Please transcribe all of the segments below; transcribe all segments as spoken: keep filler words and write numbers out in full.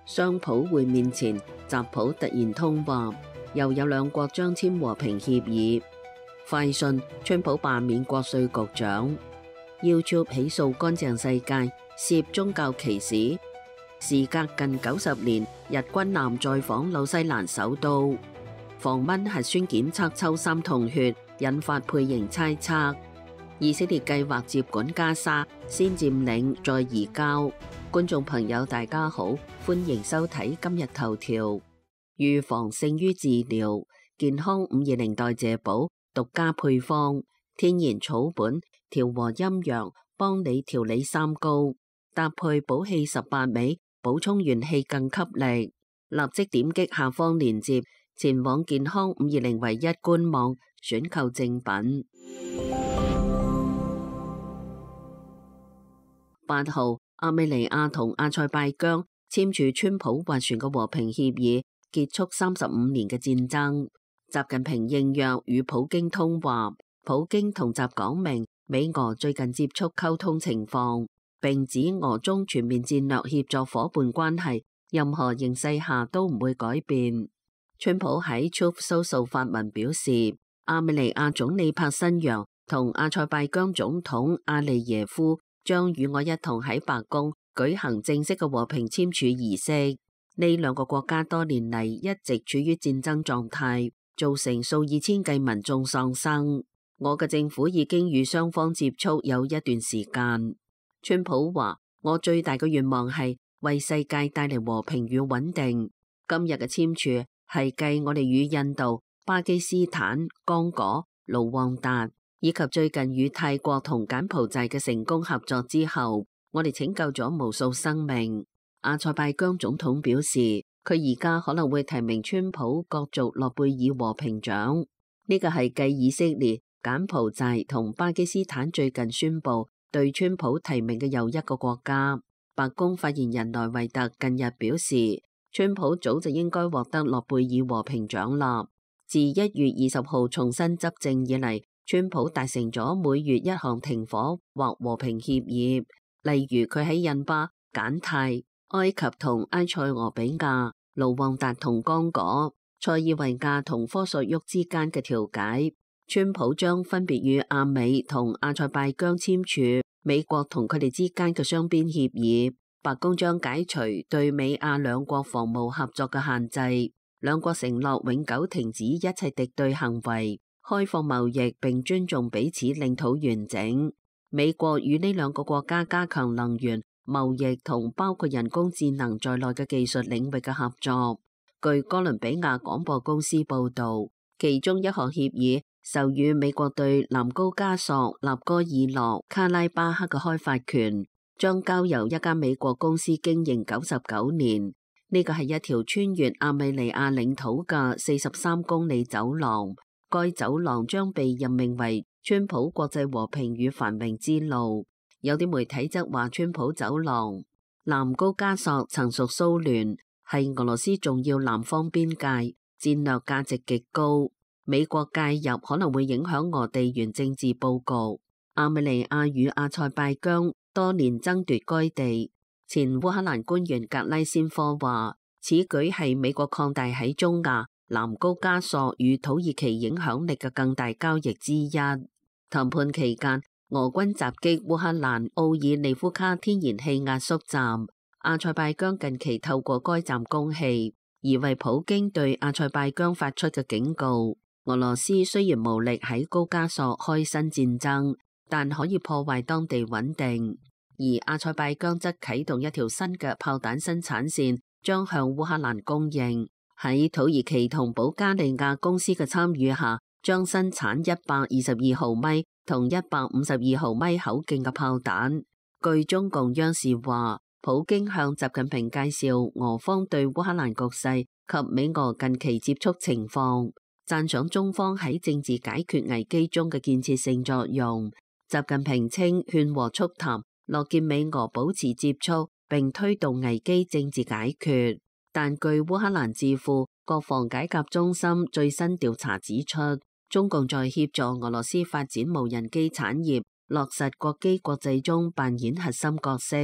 雙普會面前，習普突然通話，又有兩國將簽和平協議。快訊，川普罷免國稅局長。YouTube 起訴乾淨世界涉宗教歧視。時隔近九十年，日軍艦再訪紐西蘭首都。防蚊核酸檢測抽三桶血，引發配型猜測。以色列計劃接管加沙，先佔領再移交。觀眾朋友大家好，歡迎收睇今日頭條。預防勝於治療，健康五二零代謝寶獨家配方，天然草本調和陰陽，幫你調理三高，搭配補氣十八味，補充元氣更給力。立即點擊下方鏈接，前往健康五二零唯一官網選購正品。八號，亞美尼亞同阿塞拜疆簽署川普斡旋嘅和平協議，結束三十五年嘅戰爭。習近平應約與普京通話，普京同習講明美俄最近接觸溝通情況，並指俄中全面戰略協作夥伴關係任何形勢下都唔會改變。川普喺 Truth Social 發文表示，亞美尼亞總理帕辛揚同阿塞拜疆總統阿利耶夫將與我一同喺白宮舉行正式嘅和平簽署儀式。呢兩個國家多年嚟一直處於戰爭狀態，造成數以千計民眾喪生。我嘅政府已經與雙方接觸有一段時間。川普話：我最大嘅願望係為世界帶嚟和平與穩定。今日嘅簽署係繼我哋與印度、巴基斯坦、剛果、盧旺達以及最近與泰國同柬埔寨嘅成功合作之後，我哋拯救咗無數生命。阿塞拜疆總統表示，佢而家可能會提名川普角逐諾貝爾和平獎。呢個係繼以色列、柬埔寨同巴基斯坦最近宣布對川普提名嘅又一個國家。白宮發言人萊維特近日表示，川普早就應該獲得諾貝爾和平獎啦。自一月二十號重新執政以嚟，川普達成咗每月一項停火或和平協議，例如佢喺印巴、柬泰、埃及同埃塞俄比亞、盧旺達同剛果、塞爾維亞同科索沃之間嘅調解。川普將分別與亞美同阿塞拜疆簽署美國同佢哋之間嘅雙邊協議。白宮將解除對美亞兩國防務合作嘅限制，兩國承諾永久停止一切敵對行為，開放貿易並尊重彼此領土完整。美國與呢兩個國家加強能源、貿易同包括人工智能在內嘅技術領域嘅合作。據哥倫比亞廣播公司報道，其中一項協議授予美國對南高加索、納戈爾諾、卡拉巴克嘅開發權，將交由一家美國公司經營九十九年。呢個係一條穿越亞美尼亞領土嘅四十三公里走廊。該走廊將被任命為川普國際和平與繁榮之路。有啲媒體則話，川普走廊南高加索曾屬蘇聯，係俄羅斯重要南方邊界，戰略價值極高。美國介入可能會影響俄地緣政治佈局。亞美尼亞與阿塞拜疆多年爭奪該地。前烏克蘭官員格拉先科話，此舉係美國擴大喺中亞、南高加索與土耳其影響力嘅更大交易之一。談判期間，俄軍襲擊烏克蘭奧爾尼夫卡天然氣壓縮站，阿塞拜疆近期透過該站供氣，而為普京對阿塞拜疆發出嘅警告。俄羅斯雖然無力喺高加索開新戰爭，但可以破壞當地穩定。而阿塞拜疆則啟動一條新嘅炮彈生產線，將向烏克蘭供應。喺土耳其同保加利亞公司嘅參與下，將生產一百二十二毫米同一百五十二毫米口徑嘅炮彈。據中共央視話，普京向習近平介紹俄方對烏克蘭局勢及美俄近期接觸情況，讚賞中方喺政治解決危機中嘅建設性作用。習近平稱勸和促談，樂見美俄保持接觸並推動危機政治解決。但據烏克蘭智庫國防解甲中心最新調查指出，中共在協助俄羅斯發展無人機產業、落實國機國際中扮演核心角色。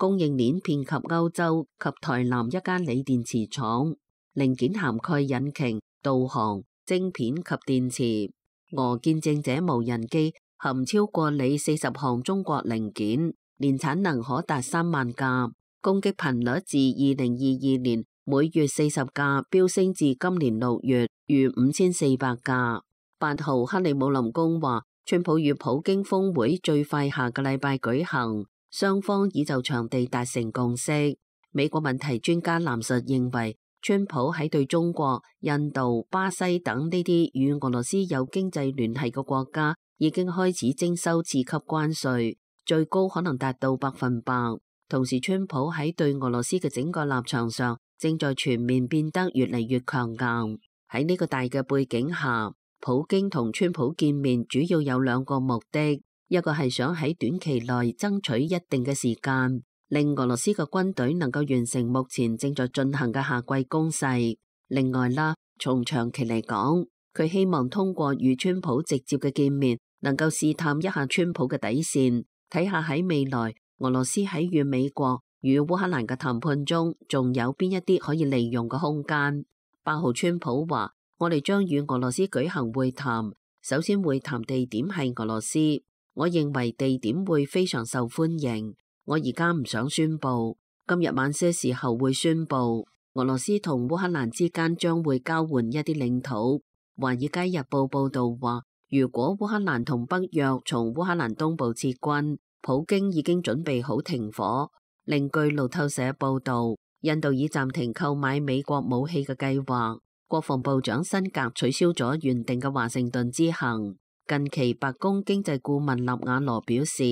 供應鏈遍及歐洲及台南一間鋰電池廠，零件涵蓋引擎、導航、晶片及電池。俄見證者無人機含超過鋰四十項中國零件，年產能可達三萬架，攻擊頻率自二零二二年每月四十架飆升至今年六月逾五千四百架。八號克里姆林宮話，川普與普京峰會最快下個禮拜舉行，雙方已就場地達成共識。美國問題專家藍述認為，川普喺對中國、印度、巴西等呢啲與俄羅斯有經濟聯繫嘅國家已經開始徵收次級關稅，最高可能達到百分百。同時，川普喺對俄羅斯嘅整個立場上正在全面變得越嚟越強硬。喺呢個大嘅背景下，普京同川普見面主要有兩個目的，一個係想喺短期內爭取一定嘅時間，令俄羅斯嘅軍隊能夠完成目前正在進行嘅夏季攻勢。另外啦，從長期嚟講，佢希望通過與川普直接嘅見面，能夠試探一下川普嘅底線，睇下喺未來俄羅斯喺與美國與烏克蘭嘅談判中，仲有邊一啲可以利用嘅空間。八號川普話，我哋將與俄羅斯舉行會談，首先會談地點係俄羅斯，我認為地點會非常受歡迎。我而家唔想宣佈，今日晚些時候會宣佈，俄羅斯同烏克蘭之間將會交換一啲領土。華爾街日報報道話，如果烏克蘭同北約從烏克蘭東部撤軍，普京已經準備好停火。另據路透社報道，印度已暫停購買美國武器嘅計劃。國防部長辛格取消咗原定嘅華盛頓之行。近期白宮經濟顧問納瓦羅表示，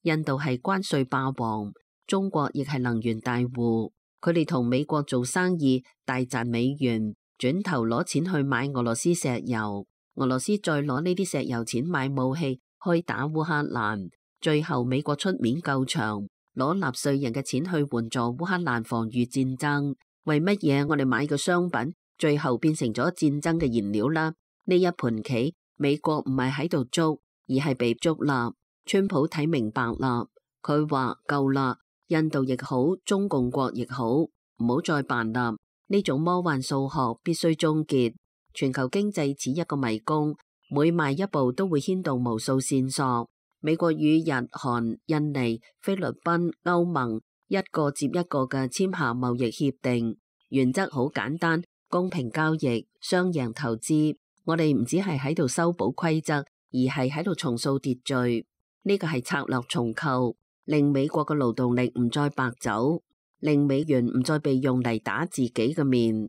印度係關稅霸王，中國亦係能源大戶，佢哋同美國做生意大賺美元，轉頭攞錢去買俄羅斯石油，俄羅斯再攞呢啲石油錢買武器去打烏克蘭，最後美國出面救場，攞納稅人嘅錢去援助烏克蘭防禦戰爭。為乜嘢我哋買嘅商品最後變成咗戰爭嘅燃料啦？呢一盤棋，美國唔係喺度捉，而係被捉啦。川普睇明白啦，佢話夠啦，印度亦好，中共國亦好，唔好再扮啦。呢種魔幻數學必須終結。全球經濟似一個迷宮，每邁一步都會牽動無數線索。美國與日、韓、印尼、菲律賓、歐盟一個接一個嘅簽下貿易協定，原則好簡單。公平交易、雙贏投資，我哋唔止係喺度修補規則，而係喺度重塑秩序。呢個係策略重構，令美國嘅勞動力唔再白走，令美元唔再被用嚟打自己嘅面。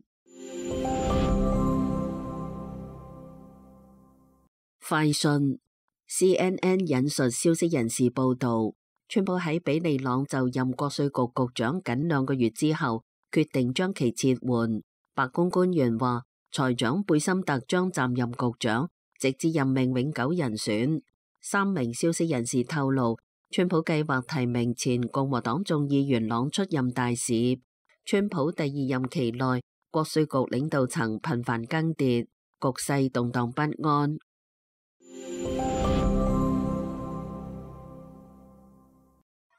快訊 C N N 引述消息人士報道，川普喺比利朗就任國稅局局長僅兩個月之後，決定將其撤換。白宮官員話，財長貝森特將暫任局長，直至任命永久人選。三名消息人士透露，川普計劃提名前共和黨眾議員朗出任大使。川普第二任期內，國稅局領導層頻繁更迭，局勢動盪不安。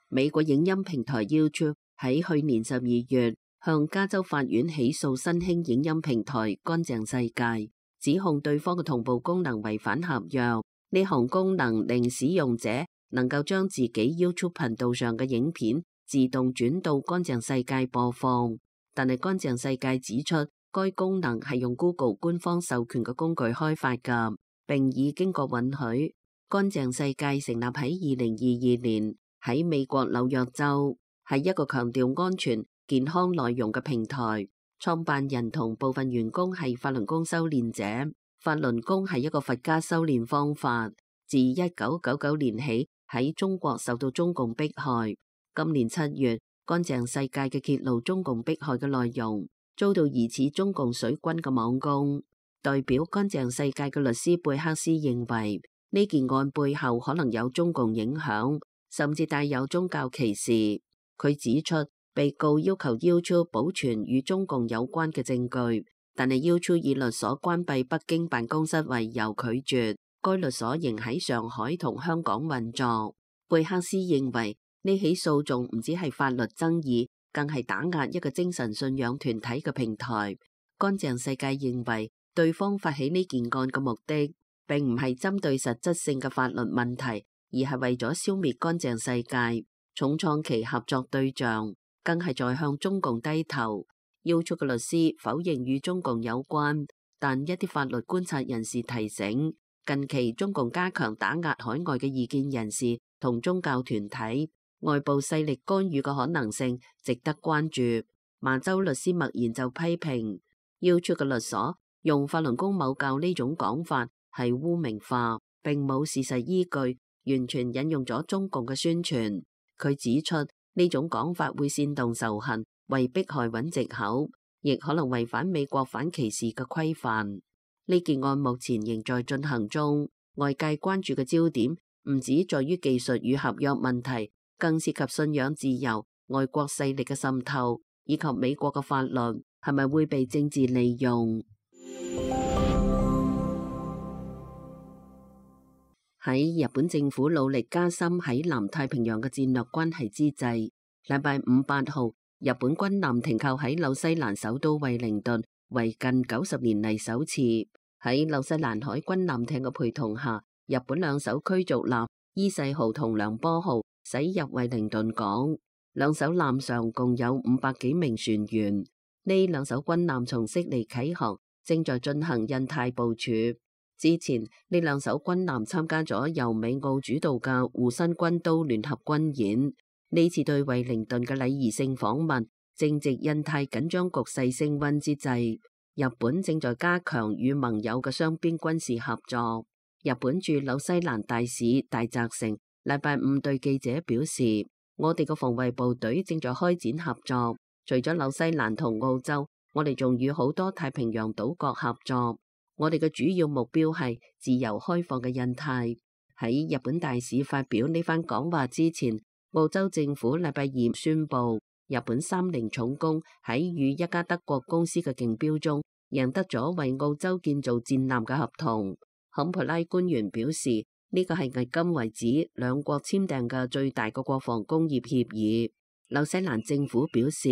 美國影音平台 YouTube 喺去年十二月向加州法院起訴新興影音平台乾淨世界，指控對方嘅同步功能違反合約。呢項功能令使用者能夠將自己 YouTube 頻道上嘅影片自動轉到乾淨世界播放，但係乾淨世界指出，該功能係用 Google 官方授權嘅工具開發㗎，並已經過允許。乾淨世界成立喺二零二二年，喺美國紐約州，係一個強調安全健康內容嘅平台。創辦人同部分員工係法輪功修煉者。法輪功係一個佛家修煉方法，自一九九九年起喺中國受到中共迫害。今年七月，乾淨世界嘅揭露中共迫害嘅內容，遭到疑似中共水軍嘅網攻。代表乾淨世界嘅律師貝克斯認為，呢件案背後可能有中共影響，甚至帶有宗教歧視。佢指出，被告要求 YouTube 保存與中共有關嘅證據，但係 YouTube 以律所關閉北京辦公室為由拒絕。該律所仍喺上海同香港運作。貝克斯認為呢起訴訟唔止係法律爭議，更係打壓一個精神信仰團體嘅平台。乾淨世界認為，對方發起呢件案嘅目的，並唔係針對實質性嘅法律問題，而係為咗消滅乾淨世界，重創其合作對象，更係在向中共低頭。要出嘅律師否認與中共有關，但一啲法律觀察人士提醒，近期中共加強打壓海外嘅異見人士同宗教團體，外部勢力干預嘅可能性值得關注。麻州律師默然就批評，要出嘅律所用法輪功某教呢種講法係污名化，並冇事實依據，完全引用咗中共嘅宣傳。佢指出呢種講法會煽動仇恨，為迫害揾藉口，亦可能違反美國反歧視嘅規範。呢件案目前仍在進行中，外界關注嘅焦點唔止在於技術與合約問題，更涉及信仰自由、外國勢力嘅滲透，以及美國嘅法律係咪會被政治利用。喺日本政府努力加深喺南太平洋嘅戰略關係之際，禮拜五八號，日本軍艦停靠喺紐西蘭首都惠靈頓，為近九十年嚟首次。喺紐西蘭海軍艦艇嘅陪同下，日本兩艘驅逐艦伊勢號同梁波號駛入惠靈頓港。兩艘艦上共有五百幾名船員。呢兩艘軍艦從悉尼啟航，正在進行印太部署。之前呢兩艘軍艦參加咗由美澳主導嘅護身軍刀聯合軍演。呢次對惠靈頓嘅禮儀性訪問，正值印太緊張局勢升溫之際。日本正在加強與盟友嘅雙邊軍事合作。日本駐紐西蘭大使大澤成禮拜五對記者表示，我哋嘅防衛部隊正在開展合作，除咗紐西蘭同澳洲，我哋仲與好多太平洋島國合作。我哋嘅主要目標係自由開放嘅印太。喺日本大使發表呢番講話之前，澳洲政府禮拜二宣布，日本三菱重工喺與一家德國公司嘅競標中贏得咗為澳洲建造戰艦嘅合同。坎培拉官員表示，呢個係迄今為止兩國簽訂嘅最大嘅國防工業協議。紐西蘭政府表示，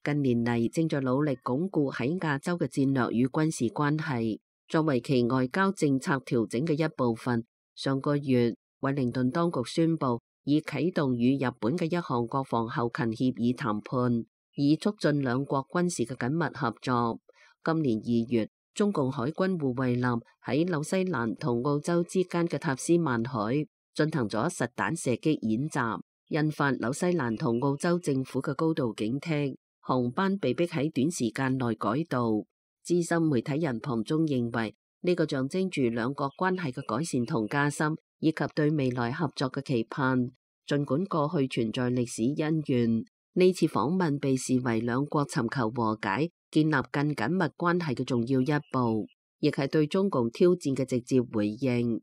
近年嚟正在努力鞏固喺亞洲嘅戰略與軍事關係，作為其外交政策調整嘅一部分。上個月，惠靈頓當局宣布已啟動與日本嘅一項國防後勤協議談判，以促進兩國軍事嘅緊密合作。今年二月，中共海軍護衛艦喺紐西蘭同澳洲之間嘅塔斯曼海進行咗實彈射擊演習，引發紐西蘭同澳洲政府嘅高度警惕，航班被迫喺短時間內改道。資深媒體人龐中認為，呢個象徵住兩國關係嘅改善同加深，以及對未來合作嘅期盼。儘管過去存在歷史恩怨，呢次訪問被視為兩國尋求和解、建立更緊密關係嘅重要一步，亦係對中共挑戰嘅直接回應。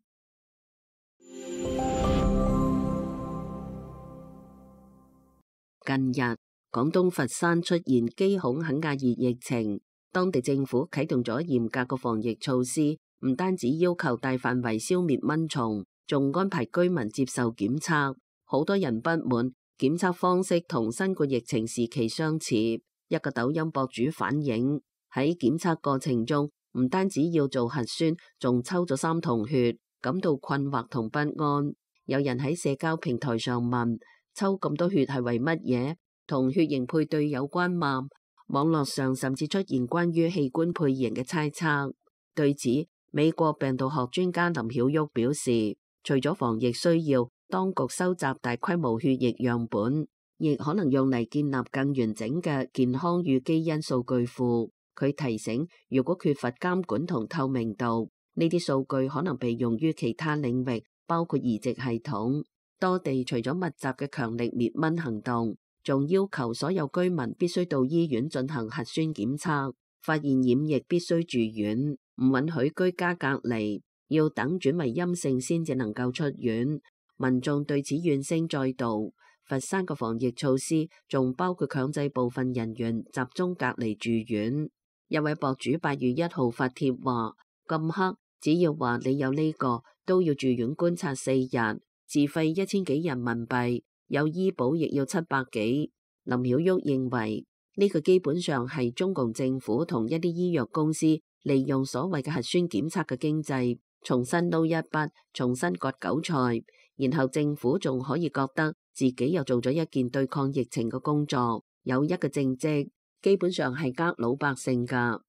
近日，廣東佛山出現基孔肯亞熱疫情。當地政府啟動咗嚴格嘅防疫措施，唔單止要求大範圍消滅蚊蟲，仲安排居民接受檢測。好多人不滿檢測方式同新冠疫情時期相似。一個抖音博主反映，喺檢測過程中，唔單止要做核酸，仲抽咗三筒血，感到困惑同不安。有人喺社交平台上問：抽咁多血係為乜嘢？同血型配對有關嗎？網絡上甚至出現關於器官配型嘅猜測。對此，美國病毒學專家林曉旭表示，除咗防疫需要，當局收集大規模血液樣本，亦可能用嚟建立更完整嘅健康與基因數據庫。佢提醒，如果缺乏監管同透明度，呢啲數據可能被用於其他領域，包括移植系統。多地除咗密集嘅強力滅蚊行動，仲要求所有居民必須到醫院進行核酸檢測，發現染疫必須住院，唔允許居家隔離，要等轉為陰性先至能夠出院。民眾對此怨聲載道。佛山嘅防疫措施仲包括強制部分人員集中隔離住院。一位博主八月一號發帖話：咁黑，只要話你有呢個，都要住院觀察四日，自費一千幾人民幣。有醫保亦要七百幾。林曉旭認為呢個基本上係中共政府同一啲醫藥公司利用所謂嘅核酸檢測嘅經濟，重新撈一筆，重新割韭菜，然後政府仲可以覺得自己又做咗一件對抗疫情嘅工作，有一個政績，基本上係呃老百姓㗎。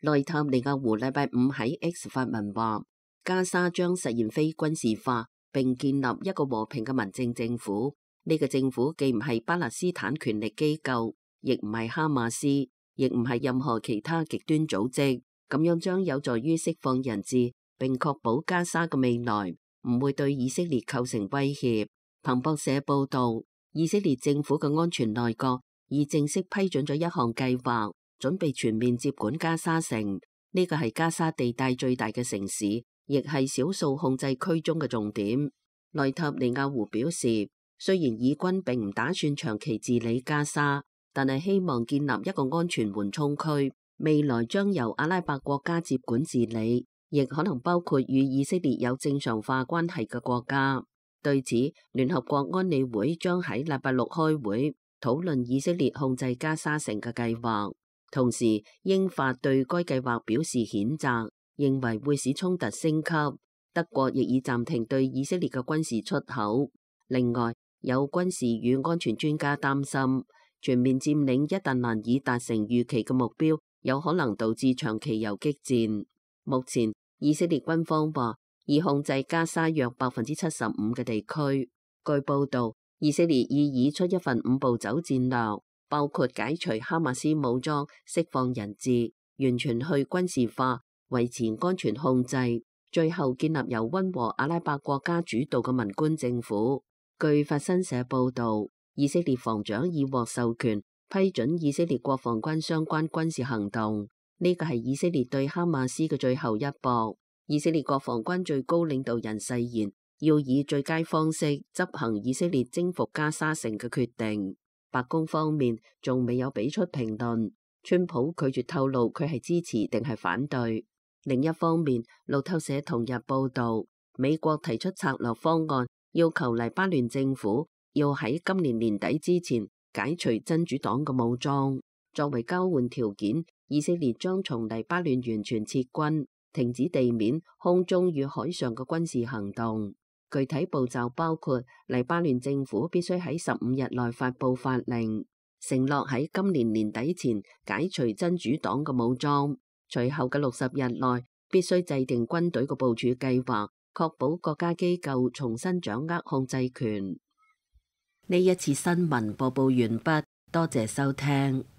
內塔尼亞胡禮拜五喺 X 發文話，加沙將實現非軍事化，並建立一個和平嘅民政政府。呢個政府既唔係巴勒斯坦權力機構，亦唔係哈馬斯，亦唔係任何其他極端組織。咁樣將有助於釋放人質，並確保加沙嘅未來唔會對以色列構成威脅。彭博社報道，以色列政府嘅安全內閣已正式批准咗一項計劃，準備全面接管加沙城。呢個係加沙地帶最大嘅城市，亦係少數控制區中嘅重點。內塔尼亞胡表示，雖然以軍並唔打算長期治理加沙，但係希望建立一個安全緩衝區，未來將由阿拉伯國家接管治理，亦可能包括與以色列有正常化關係嘅國家。對此，聯合國安理會將喺禮拜六開會討論以色列控制加沙城嘅計劃，同時英法對該計劃表示譴責，認為會使衝突升級。德國亦已暫停對以色列嘅軍事出口。另外，有軍事與安全專家擔心，全面佔領一旦難以達成預期嘅目標，有可能導致長期游擊戰。目前，以色列軍方話已控制加沙約百分之七十五嘅地區。據報道，以色列已擬出一份五步走戰略，包括解除哈馬斯武裝、釋放人質、完全去軍事化、維持安全控制，最後建立由溫和阿拉伯國家主導嘅民官政府。據法新社報導，以色列防長已獲授權批准以色列國防軍相關軍事行動，呢個係以色列對哈馬斯嘅最後一搏。以色列國防軍最高領導人誓言要以最佳方式執行以色列征服加沙城嘅決定。白宮方面仲未有俾出評論，川普拒絕透露佢係支持定係反對。另一方面，路透社同日報導，美國提出策略方案，要求黎巴嫩政府要喺今年年底之前解除真主黨嘅武裝。作為交換條件，以色列將從黎巴嫩完全撤軍，停止地面、空中與海上嘅軍事行動。具體步驟包括黎巴嫩政府必須喺十五日內發布法令，承諾喺今年年底前解除真主黨嘅武裝。隨後嘅六十日內必須制定軍隊嘅部署計劃，確保國家機構重新掌握控制權。呢一次新聞播報完畢，多謝收聽。